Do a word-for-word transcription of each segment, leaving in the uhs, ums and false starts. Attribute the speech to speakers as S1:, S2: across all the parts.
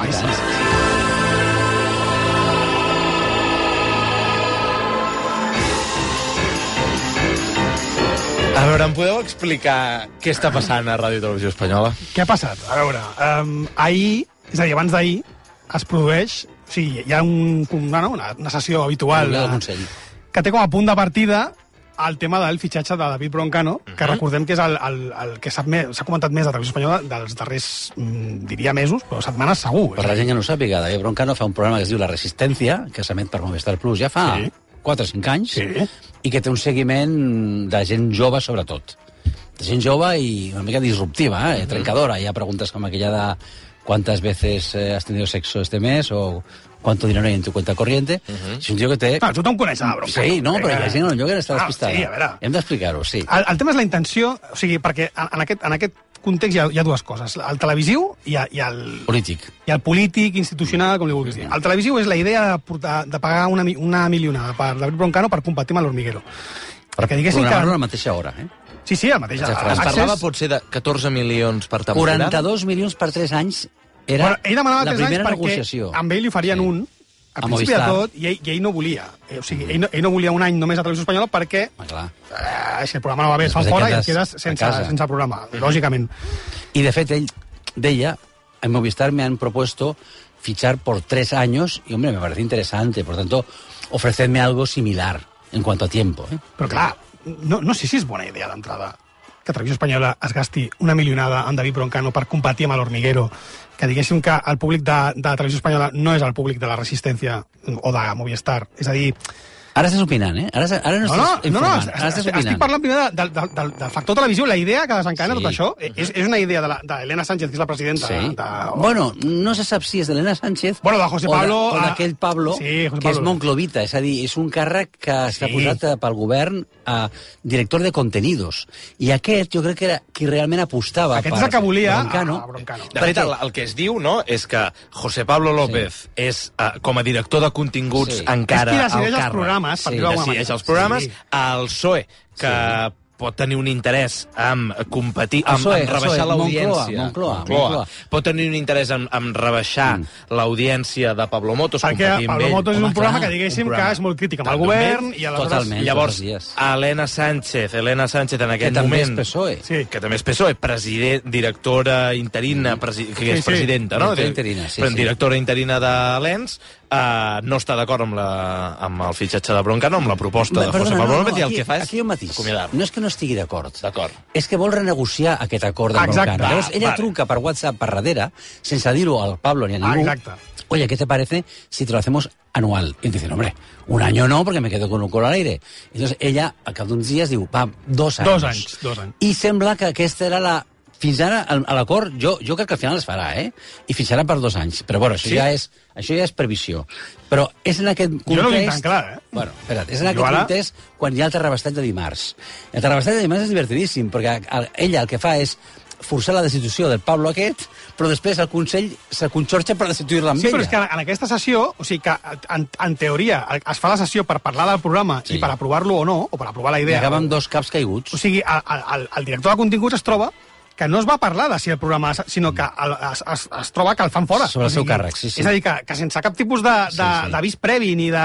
S1: Ai, sí, sí.
S2: A veure, em podeu explicar què està passant a Ràdio i Televisió Espanyola?
S1: Què ha passat? A veure, um, ahir, és a dir, abans d'ahir, es produeix... O sigui, hi ha un, una, una, una sessió habitual
S3: de,
S1: que té com a punt de partida el tema del fitxatge de David Broncano, uh -huh. que recordem que és el, el, el que s'ha comentat més a Televisió Espanyola dels darrers, mm, diria, mesos, però setmanes segur.
S3: Per la gent que no sàpiga, David Broncano fa un programa que es diu La Resistència, que s'emet per Movistar Plus ja fa sí. quatre o cinc anys,
S1: sí.
S3: i que té un seguiment de gent jove, sobretot. De gent jove i una mica disruptiva, eh? trencadora. Hi ha preguntes com aquella de ¿cuántas veces eh, has tenido sexo este mes? O ¿cuánto dinero hay en tu cuenta corriente? Uh-huh. És un tio que té...
S1: Ah, tu te'n coneixes, Broncano.
S3: Sí, no, però hi ha gent que està despistada.
S1: Ah, sí, a veure.
S3: Hem d'explicar-ho, sí.
S1: El, el tema és la intenció, o sigui, perquè en, en, aquest, en aquest context hi ha, hi ha dues coses. El televisiu i, i el...
S3: Polític.
S1: I el polític, institucional, com li vulguis dir. El televisiu és la idea de, portar, de pagar una, una milionada per David Broncano per competir amb l'Hormiguero.
S3: Perquè diguéssim que... Programar-lo a la mateixa hora, eh?
S1: Sí, sí, al mateix.
S2: Es parlava potser de catorze milions per temporada?
S3: quaranta-dos milions per tres anys era
S1: bueno, ell demanava
S3: la
S1: tres
S3: primera
S1: anys
S3: negociació.
S1: Perquè amb ell li farien sí. un, a, a principi de tot, i ell, i ell no volia. Eh, o sigui, ell no, ell no volia un any només a Televisió Espanyola perquè
S3: ah,
S1: eh, si el programa no va bé, es fan fora i et quedes sense, sense programa, mm-hmm. lògicament.
S3: Y de fet, ell deia, en Movistar me han propuesto fichar por tres años, y hombre, me parece interesante, por tanto, ofrecedme algo similar en cuanto a tiempo. ¿eh?
S1: Però clar, no, no sé si és bona idea d'entrada que Televisió Espanyola es gasti una milionada amb David Broncano per competir amb l'Hormiguero, que diguéssim que el públic de, de Televisió Espanyola no és el públic de la Resistència o de Movistar. És a dir...
S3: Ara estàs opinant, eh? Ara, ara no,
S1: no,
S3: estàs
S1: no, no,
S3: informant.
S1: no,
S3: ara estàs opinant.
S1: Estic parlant primer de, de, de, del factor televisiu. La idea que desencadena sí. tot això és, és una idea d'Helena Sánchez, que és la presidenta.
S3: Sí.
S1: De, de...
S3: Bueno, no se sap si és d'Helena Sánchez
S1: bueno, de José Pablo,
S3: o d'aquell Pablo,
S1: sí, José
S3: que
S1: Pablo.
S3: és monclovita. És a dir, és un càrrec que està sí. posat pel govern a director de contenidos. I aquest jo crec que era qui realment apostava
S1: aquest
S3: per
S1: és el que volia
S3: Broncano.
S1: A, a Broncano.
S2: De fet, el, el que es diu, no?, és que José Pablo López sí. és, uh, com a director de continguts,
S1: sí.
S2: encara
S1: al càrrec. És qui decideix els programes,
S2: sí.
S1: per dir-ho d'alguna
S2: decideix els programes.
S1: Sí.
S2: El P S O E, que... Sí. pot tenir un interès en competir, en, en rebaixar l'audiència.
S3: Moncloa, Moncloa, Moncloa.
S2: Pot tenir un interès en, en rebaixar mm. l'audiència de Pablo Motos.
S1: Perquè Pablo Motos és un programa que diguéssim que és molt crític amb el govern. I
S3: Totalment.
S2: Llavors, Helena Sánchez, Helena Sánchez en aquest
S3: que
S2: moment...
S3: També és P S O E.
S2: Sí. Que també és P S O E, president, directora interina, presi, que sí, és presidenta,
S3: sí.
S2: no?
S3: Interina, sí, sí.
S2: Directora interina de l'E N S, Uh, no està d'acord amb, la, amb el fitxatge de Broncano, amb la proposta
S3: Bé,
S2: de
S3: perdona,
S2: José Pablo
S3: no,
S2: López,
S3: no,
S2: i el
S3: aquí,
S2: que fa és
S3: aquí hi ha un matís. No és que no estigui d'acord.
S2: D'acord.
S3: És que vol renegociar aquest acord amb
S1: Exacte.
S3: Broncano. Llavors, ella
S1: vale.
S3: truca per WhatsApp per darrere, sense dir-ho al Pablo ni a ningú.
S1: Exacte.
S3: Oye, ¿qué te parece si te lo hacemos anual? Y dicen, hombre, un año no, porque me quedo con un colo al aire. Entonces ella, al cap d'uns dies, diu, va, dos anys.
S1: Dos anys, dos anys.
S3: I sembla que aquesta era la... Fins ara, a l'acord, jo, jo crec que al final es farà, eh? I fixarà per dos anys. Però, bueno, això, sí? ja, és, això ja és previsió. Però és en aquest context...
S1: Jo no ho tinc tan clar, eh?
S3: Bueno, espera't, és en aquest ara... context quan hi ha el terrabastat de dimarts. El terrabastat de dimarts és divertidíssim, perquè ella el que fa és forçar la destitució del Pablo aquest, però després el Consell se conxorxa per destituir-la amb
S1: sí,
S3: ella.
S1: Sí, però és que en aquesta sessió, o sigui que en, en teoria es fa la sessió per parlar del programa sí. i per aprovar-lo o no, o per aprovar la idea...
S3: I acaba amb dos caps caiguts.
S1: O sigui, el, el, el director de continguts es troba que no es va parlar de si el programa, sinó que el, es, es, es troba que el fan fora.
S3: Sobre el
S1: o sigui,
S3: seu càrrec, sí, sí.
S1: És a dir, que, que sense cap tipus d'avís de, de, sí, sí. previ ni de...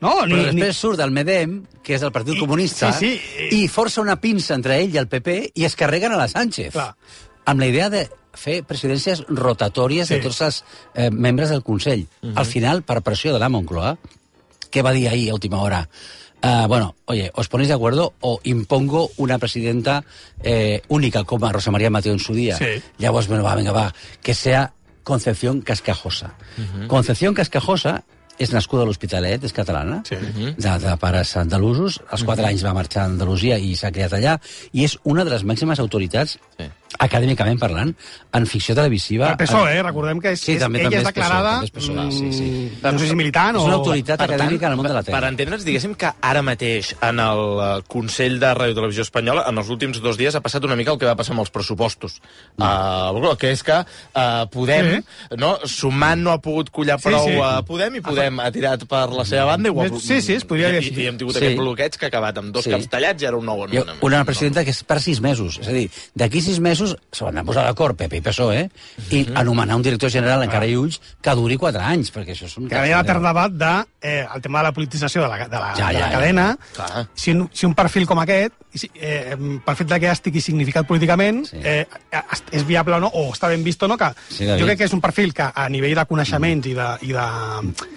S1: No,
S3: però
S1: ni,
S3: després
S1: ni...
S3: surt el MEDEM, que és el Partit I, Comunista,
S1: sí, sí,
S3: i força una pinça entre ell i el P P i es carreguen a la Sánchez.
S1: Clar.
S3: Amb la idea de fer presidències rotatòries sí. de tots els eh, membres del Consell. Uh-huh. Al final, per pressió de la Moncloa, què va dir ahir a última hora? Uh, bueno, oye, ¿os ponéis de acuerdo o impongo una presidenta eh, única como a Rosa María Mateo en su día?
S1: Sí.
S3: Llavors, bueno, va, venga, va, que sea Concepción Cascajosa. Uh-huh. Concepción Cascajosa és nascuda a l'Hospitalet, és catalana, sí. de, de pares andalusos, als quatre uh-huh. anys va marxar a Andalusia i s'ha criat allà, i és una de les màximes autoritats, sí. acadèmicament parlant, en ficció televisiva.
S1: El P S O E, en... recordem que és,
S3: sí, també,
S1: ella
S3: també
S1: és declarada,
S3: P S O E, sí, sí.
S1: no sé si militant o...
S3: És una autoritat
S2: per
S3: acadèmica
S2: tant,
S3: en el món de la tele.
S2: Per entendre'ns, diguéssim que ara mateix en el Consell de Ràdio i Televisió Espanyola, en els últims dos dies ha passat una mica el que va passar amb els pressupostos. Mm. Uh, que és que uh, Podem, sí. no, sumant no ha pogut collar prou sí, sí. a Podem i Podem ha tirat per la seva banda. I ho...
S1: Sí, sí, es podria dir
S2: així. I, i hem tingut
S3: sí.
S2: aquest bloqueig que ha acabat amb dos sí. caps tallats i ara un nou
S3: nomenament. Una presidenta que és per sis mesos. És a dir, d'aquí sis mesos pressupostos se van a posar d'acord P P i P S O E i anomenar un director general encara i ulls que duri quatre anys, perquè això és un...
S1: Que hi ha l'etern debat de eh, el tema de la politització de la, de la,
S3: Ja,
S1: de
S3: ja,
S1: la
S3: ja.
S1: cadena.
S2: Clar.
S1: Si un, si un perfil com aquest, si, eh, per fet de que estigui significat políticament,
S3: Sí.
S1: eh, és viable o no, o està ben vist o no, que
S3: Sí, David.
S1: jo crec que és un perfil que a nivell de coneixements i de... I de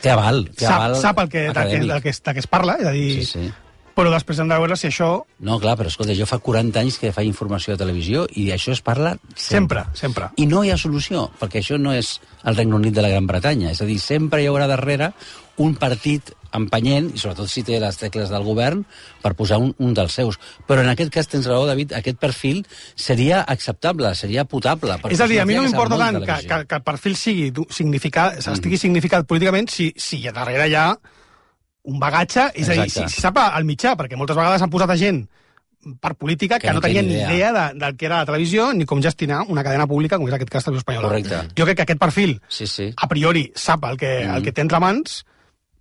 S3: Té aval, té
S1: sap,
S3: aval
S1: sap el que, de, que,
S3: acadèmic.
S1: del, que, es- de què es parla, és a dir...
S3: Sí, sí.
S1: Però després hem de veure si això...
S3: No, clar, però escolta, jo fa quaranta anys que faig informació de televisió i això es parla
S1: Sempre, sempre.
S3: I no hi ha solució, perquè això no és el Regne Unit de la Gran Bretanya. És a dir, sempre hi haurà darrere un partit empenyent, i sobretot si té les tecles del govern, per posar un, un dels seus. Però en aquest cas, tens raó, David, aquest perfil seria acceptable, seria potable.
S1: És a dir, a mi no m'importa tant
S3: que,
S1: que, que, que el perfil sigui du- significat, estigui significat políticament si, si darrere hi ha un bagatge, és a dir, si,
S3: Exacte.
S1: si sap el mitjà, perquè moltes vegades han posat a gent per política que,
S3: Que
S1: no,
S3: no té
S1: tenien
S3: ni
S1: ni
S3: idea.
S1: idea de, del que era la televisió ni com gestionar una cadena pública, com és aquest cas Televisió Espanyola.
S3: Correcte.
S1: Jo crec que aquest perfil,
S3: Sí, sí.
S1: a priori, sap el que, el que té entre mans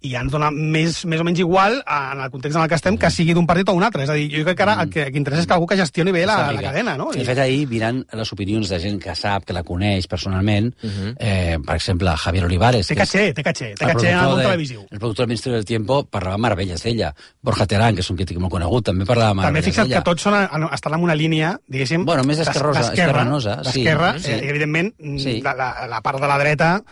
S1: i ja ens dona més, més o menys igual en el context en el que estem que sigui d'un partit o un altre. És a dir, jo crec que ara el que, el que interessa és que algú que gestioni bé la, la cadena, no?
S3: De fet, ahir, mirant les opinions de gent que sap, que la coneix personalment, uh -huh. eh, per exemple, Javier Olivares...
S1: Té
S3: que és
S1: caché, té caché, té
S3: el
S1: caché en el
S3: productor
S1: món
S3: de-
S1: televisiu.
S3: El productor del Ministerio del Tiempo parlava meravelles d'ella. Borja Terán, que és un crític molt conegut, també parlava
S1: També
S3: meravelles
S1: fixa't
S3: d'ella.
S1: que tots són, en- estan en una línia, diguéssim...
S3: Bueno, més
S1: d'es-
S3: esquerrosa,
S1: d'esquerra,
S3: esquerranosa, sí.
S1: d'esquerra,
S3: Sí.
S1: eh, evidentment,
S3: Sí.
S1: la, la, la part de la dreta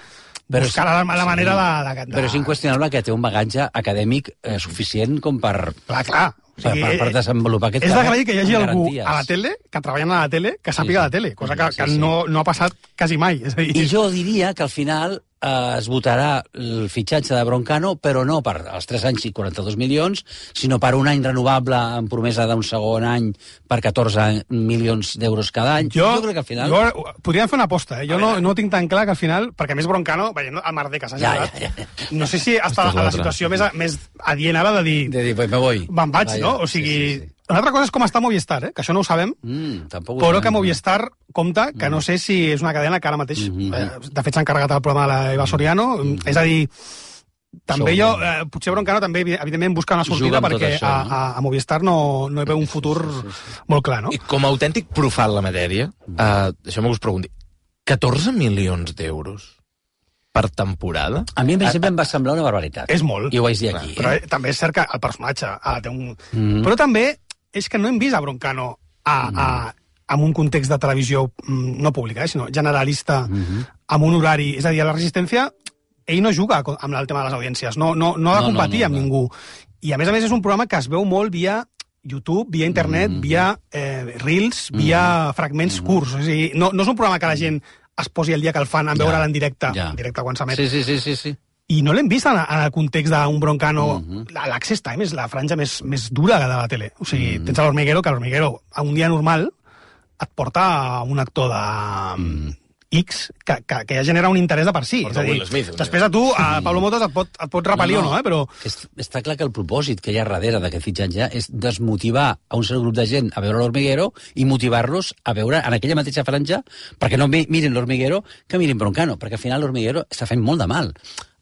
S3: Però
S1: buscarà
S3: és-
S1: la, la
S3: sí.
S1: manera de, de, de...
S3: Però és inqüestionable que té un bagatge acadèmic eh, suficient com per,
S1: Clar, clar.
S3: per, per, per desenvolupar aquest
S1: és
S3: càrrec
S1: d'agrair que hi hagi
S3: amb
S1: algú
S3: garanties.
S1: a la tele, que treballant a la tele, que sàpiga
S3: Sí,
S1: de tele, cosa que,
S3: sí,
S1: que
S3: sí.
S1: no, no ha passat quasi mai. És a dir,
S3: I jo diria que al final eh, es votarà el fitxatge de Broncano, però no per els tres anys i quaranta-dos milions, sinó per un any renovable amb promesa d'un segon any per catorze milions d'euros cada any.
S1: jo,
S3: crec que al final...
S1: jo, podríem fer una aposta, eh? Jo no, no ho tinc tan clar que al final, perquè a més Broncano, veient el merder que s'ha
S3: Ja,
S1: generat,
S3: ja, ja.
S1: no sé si està
S2: és
S1: a la
S2: l'altre.
S1: situació més, més adient ara de dir,
S3: De dir, pues me voy.
S1: me'n vaig,
S3: Vaja,
S1: no? O sigui,
S3: sí, sí, sí.
S1: una altra cosa és com està Movistar, eh? Que això no ho sabem,
S3: Mm, tampoc ho
S1: però
S3: sabem,
S1: que
S3: no?
S1: Movistar compta, que no sé si és una cadena que ara mateix...
S3: Mhm.
S1: eh, de fet, s'ha encarregat el programa de la Eva Soriano. És a dir, també
S3: Això ho
S1: jo... Eh, potser Broncano també, evidentment, busca una sortida
S3: Juga amb tot
S1: perquè
S3: això,
S1: a,
S3: no?
S1: a, a Movistar no, no hi veu un futur molt clar, no?
S2: I com a autèntic profà en la matèria, uh, deixeu-me que us pregunti, catorze milions d'euros per temporada?
S3: A mi, en principi, em va semblar una barbaritat.
S1: És molt.
S3: I ho vaig dir aquí.
S1: Però
S3: Eh?
S1: eh, també és cert que el personatge ha de té un...
S3: Mhm.
S1: Però també és que no hem vist a Broncano a, a, en un context de televisió mm, no pública, eh, sinó generalista,
S3: Mhm.
S1: amb un horari... És a dir, a la Resistència, ell no juga co- amb el tema de les audiències, no, no, no ha de
S3: No, no,
S1: competir
S3: no,
S1: amb
S3: clar.
S1: ningú. I, a més a més, és un programa que es veu molt via YouTube, via internet,
S3: Mhm.
S1: via eh, Reels, via fragments curts. És a dir, no, no és un programa que la gent es posi el dia que el fan en
S3: Ja,
S1: veure'l en directe,
S3: ja.
S1: en directe quan s'emet.
S3: Sí, sí, sí, sí, sí.
S1: I no l'hem vist en, en el context d'un Broncano.
S3: Mhm.
S1: La- L'Access Time és la franja més, més dura de la tele. O sigui,
S3: Mhm.
S1: tens a l'Hormiguero, que l'Hormiguero, a un dia normal, et porta a un actor de
S3: Mhm.
S1: X que, que, que ja genera un interès de per si.
S2: Porta
S1: És a dir,
S2: Will Smith, un
S1: després a tu, a Pablo Motos, et pot, et pot repel·lir o no, eh? Però
S3: Que est- està clar que el propòsit que hi ha darrere d'aquest fitxatge és desmotivar a un cert grup de gent a veure l'Hormiguero i motivar-los a veure en aquella mateixa franja, perquè no mi- mirin l'Hormiguero, que mirin Broncano, perquè al final l'Hormiguero està fent molt de mal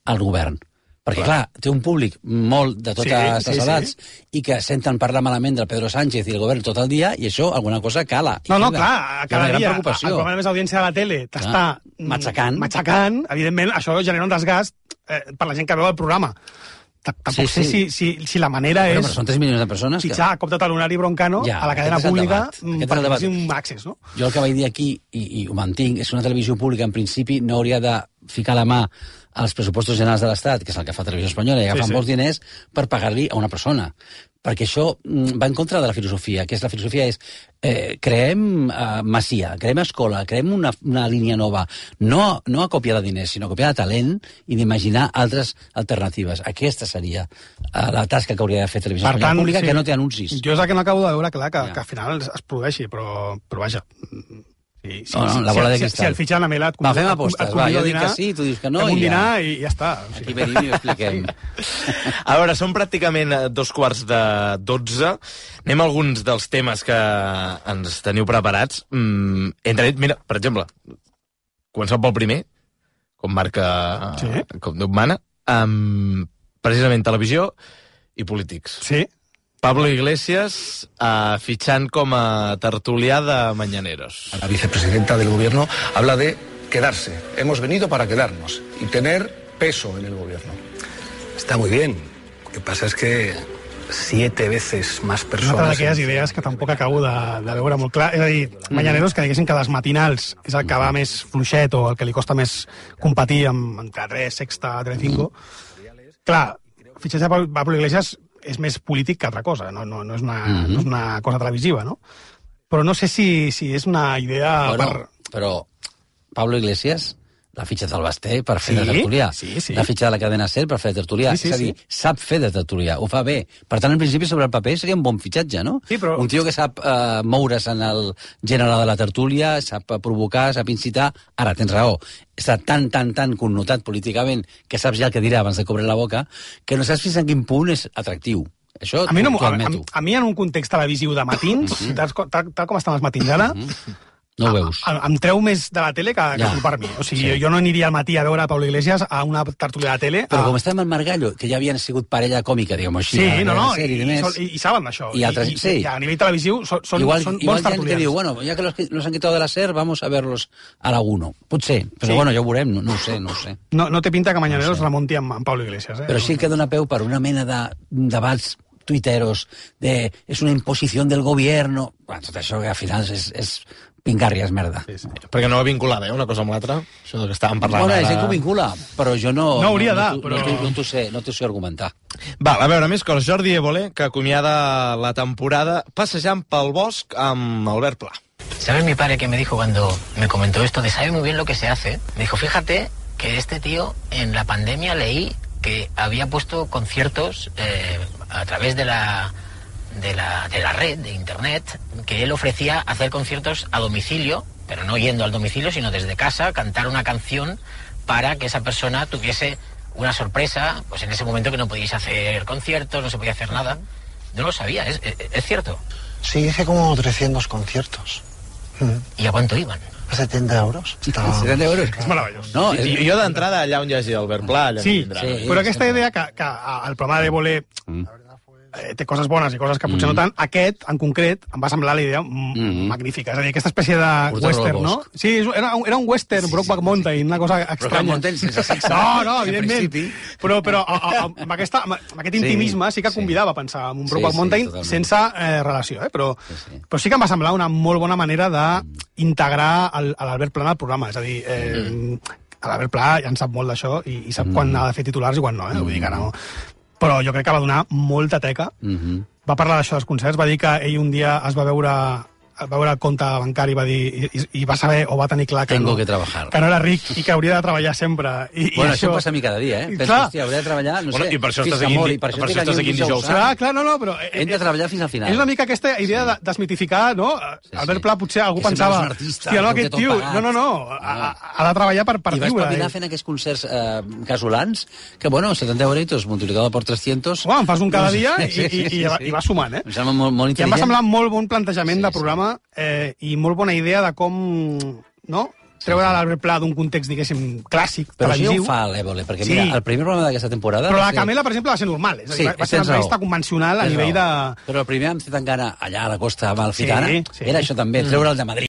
S3: al govern. Perquè, clar, clar té un públic molt de totes
S1: Sí, sí,
S3: les edats
S1: sí.
S3: i que senten parlar malament del Pedro Sánchez i el govern tot el dia, i això alguna cosa cala. I
S1: no, no,
S3: queda.
S1: clar,
S3: Hi ha
S1: cada
S3: una gran
S1: dia
S3: preocupació.
S1: el programa de més audiència de la tele t'està mm,
S3: matxacant.
S1: matxacant, evidentment, això genera un desgast eh, per la gent que veu el programa. Ta- Tampoc
S3: Sí,
S1: sé
S3: sí.
S1: si, si, si la manera
S3: Bueno,
S1: és
S3: però són tres milions de persones que...
S1: fitxar a cop de talonari Broncano
S3: Ja,
S1: a la cadena
S3: aquest és el
S1: pública
S3: debat,
S1: mm,
S3: aquest és el
S1: perquè
S3: debat.
S1: faci un accés, no?
S3: Jo el que vaig dir aquí, i, i ho mantinc, és que una televisió pública, en principi, no hauria de ficar la mà als pressupostos generals de l'Estat, que és el que fa Televisió Espanyola, i agafar
S1: Sí, sí.
S3: molts diners per pagar-li a una persona. Perquè això mm, va en contra de la filosofia, que és la filosofia és eh, creem eh, masia, creem escola, creem una, una línia nova, no, no a còpia de diners, sinó a còpia de talent i d'imaginar altres alternatives. Aquesta seria eh, la tasca que hauria de fer Televisió Espanyola Pública, que no té anuncis.
S1: Jo és el que no acabo de veure, clar, que,
S3: Ja.
S1: que al final es, es produeixi, però, però vaja... Sí, sí,
S3: No, no,
S1: sí,
S3: la
S1: sí,
S3: bola de
S1: si,
S3: cristal.
S1: si el fitxen a Mela et
S3: Va, fem
S1: convido-
S3: apostes,
S1: et
S3: va,
S1: convido
S3: jo
S1: a
S3: dic
S1: dinar,
S3: que sí, tu dius que no,
S1: fem un
S3: i ja.
S1: dinar i ja està. O
S3: Aquí
S1: sigui.
S3: venim i ho expliquem.
S2: A veure, són pràcticament eh, dos quarts de dotze. Anem a alguns dels temes que ens teniu preparats. Mm, entre, mira, per exemple, començant pel primer, com marca,
S1: Sí.
S2: com Déu mana, um, precisament televisió i polítics.
S1: Sí,
S2: Pablo Iglesias uh, fichant com a tertulià de Mañaneros.
S4: La vicepresidenta del gobierno habla de quedarse. Hemos venido para quedarnos y tener peso en el gobierno. Está muy bien. Lo que pasa es que siete veces más persones...
S1: Una d'aquelles idees que tampoc acabo de, de veure molt clar. És a dir, Mañaneros, que diguessin que les matinals és el que va més fluixet o el que li costa més competir amb entre tres, Sexta, Telecinco. Clar, el fitxatge de Pablo Iglesias és més polític que altra cosa, no, no, no, és, una, mm-hmm. no és una cosa televisiva, no? Però no sé si, si és una idea...
S3: Bueno,
S1: per...
S3: però Pablo Iglesias l'ha fitxat el Basté per fer
S1: sí?
S3: de tertulià.
S1: Sí, sí.
S3: L'ha fitxat la cadena SER per fer de tertulià.
S1: Sí, sí,
S3: és a dir,
S1: sí.
S3: sap fer de tertulià, ho fa bé. Per tant, en principi, sobre el paper seria un bon fitxatge, no?
S1: Sí, però...
S3: Un tio que sap uh, moure's en el gènere de la tertúlia, sap provocar, sap incitar. Ara, tens raó, està tan, tan, tan connotat políticament que saps ja el que dirà abans de cobrir la boca, que no saps fins en quin punt és atractiu. Això
S1: a mi, no,
S3: t'ho
S1: a,
S3: admeto.
S1: a, a mi, en un context televisiu de matins, mm-hmm. tal, tal, tal com estan els matins ara, mm-hmm.
S3: no ho veus.
S1: A, a, em treu més de la tele que, que
S3: Ja.
S1: per mi. O sigui,
S3: Sí.
S1: jo, jo no aniria al matí a veure Pablo Iglesias a una tertúlia de tele.
S3: Però
S1: a...
S3: com estem en Margallo, que ja havien sigut parella còmica, diguem-ho així,
S1: Sí,
S3: a
S1: no,
S3: la
S1: no,
S3: sèrie
S1: i,
S3: de més.
S1: i, i saben d'això.
S3: I altres-
S1: I,
S3: sí.
S1: I a nivell televisiu són, són,
S3: Igual,
S1: són
S3: igual
S1: bons
S3: hi ha gent que
S1: tertulians.
S3: diu, bueno, ya que los, los han quitado de la SER, vamos a verlos a la uno. Potser, però
S1: Sí.
S3: bueno, ja ho veurem, no, no ho sé, no ho sé.
S1: No, no té pinta que Mañaneros
S3: No sé.
S1: remonti amb, amb Pablo Iglesias. Eh?
S3: Però sí que dona peu per una mena de debats tuiteros de és una imposició del gobierno. Bueno, tot això que al final és, és pingarri, és merda.
S1: Sí, sí.
S2: Perquè no va vinculada, eh, una cosa amb l'altra. Això que estàvem parlant
S3: Bueno,
S2: ara.
S3: és gent que ho vincula, però jo no...
S1: No hauria de,
S3: no,
S1: però-
S3: No, no, no t'ho sé, no t'ho sé argumentar.
S2: Val, a veure, més coses. Jordi Évole, que acomiada la temporada passejant pel bosc amb Albert Pla.
S5: ¿Sabes mi padre que me dijo cuando me comentó esto de sabe muy bien lo que se hace? Me dijo, fíjate que este tío en la pandemia leí que había puesto conciertos eh, a través de la, de, la, de la red, de internet, que él ofrecía hacer conciertos a domicilio, pero no yendo al domicilio, sino desde casa, cantar una canción para que esa persona tuviese una sorpresa, pues en ese momento que no podíais hacer conciertos, no se podía hacer nada. No lo sabía, ¿es, es, es cierto?
S6: Sí, hice como trescientos conciertos.
S5: ¿Y a cuánto iban?
S6: A setenta euros. Estava...
S3: setenta euros?
S1: És meravellós.
S3: No,
S2: I,
S3: és...
S2: jo d'entrada allà on hi hagi Albert Pla, allà
S1: Sí,
S2: em tindrà.
S3: sí.
S1: Però aquesta idea que, que el programa d'Évole eh, té coses bones i coses que potser no tant, aquest, en concret, em va semblar la idea mm. magnífica. És a dir, aquesta espècie de
S3: Portar-lo
S1: western,
S3: al
S1: no?
S3: bosc.
S1: Sí, és- era, un- era un western, sí, Brokeback Mountain, una cosa estranya.
S3: Mountain sense sexe.
S1: No, no,
S3: En
S1: evidentment.
S3: principi.
S1: Però, però a, a, amb, aquesta, amb, amb aquest
S3: Sí,
S1: intimisme sí que
S3: sí.
S1: convidava a pensar en un
S3: Sí,
S1: Brokeback
S3: sí,
S1: Mountain
S3: totalment.
S1: sense eh, relació, eh? Però,
S3: Sí, sí.
S1: però sí que em va semblar una molt bona manera d'integrar el- a l'Albert Pla en el programa. És a dir, eh, l'Albert Pla ja en sap molt d'això i, i sap
S3: Mm.
S1: quan ha de fer titulars i quan no, eh? Vull dir que no. Però jo crec que va donar molta teca.
S3: Mhm.
S1: Va parlar d'això dels concerts, va dir que ell un dia es va veure va veure el compte bancari va dir, i, i va saber o va tenir clar que
S3: Tengo
S1: no,
S3: que trabajar.
S1: que no era ric i que hauria de treballar sempre. I,
S3: Bueno,
S1: i
S3: això passa a mi cada dia, eh?
S1: I
S3: Penso,
S1: clar,
S3: hòstia, hauré de treballar, no
S2: Bueno,
S3: sé,
S2: i per això
S3: fins
S2: estàs
S3: que
S2: aquí-
S3: mori, per
S2: per
S3: això
S2: això
S3: estic
S2: estàs aquí en dijous
S3: Sant.
S1: clar, clar, no, no, però...
S3: Hem de treballar fins al final.
S1: És una mica aquesta idea de desmitificar, no?
S3: Sí,
S1: Albert
S3: sí.
S1: Pla potser algú
S3: Que sempre
S1: pensava...
S3: és un artista,
S1: hòstia, no,
S3: que ho té
S1: aquest
S3: tot
S1: tio...
S3: pagat.
S1: No, no, no, ha, ha de treballar per, per
S3: I vas
S1: viure.
S3: pavilar
S1: eh?
S3: fent aquests concerts eh, casolans, que, bueno, setenta euritos multiplicado por trescientos...
S1: Home, en fas un cada dia i,
S3: Sí, sí,
S1: i, i,
S3: sí,
S1: va-
S3: sí.
S1: i va sumant, eh?
S3: Em sembla molt, molt
S1: I em va
S3: intel·ligent.
S1: semblar molt bon plantejament
S3: Sí,
S1: de
S3: sí.
S1: programa eh, i molt bona idea de com, no? Treure l'Albert Pla d'un context, diguéssim, clàssic,
S3: Però això ja
S1: televisiu.
S3: ho fa l'Évole, perquè
S1: Sí.
S3: mira, el primer programa d'aquesta temporada...
S1: Però
S3: va
S1: la
S3: ser-
S1: Camela, per exemple, va ser normal. És a dir,
S3: Sí,
S1: va, va ser
S3: tens
S1: una entrevista
S3: raó.
S1: convencional a
S3: Tens
S1: nivell
S3: raó.
S1: de...
S3: Però el primer amb Zetangana, allà a la costa amalfitana,
S1: Sí, sí.
S3: era això també, treure el de Madrid.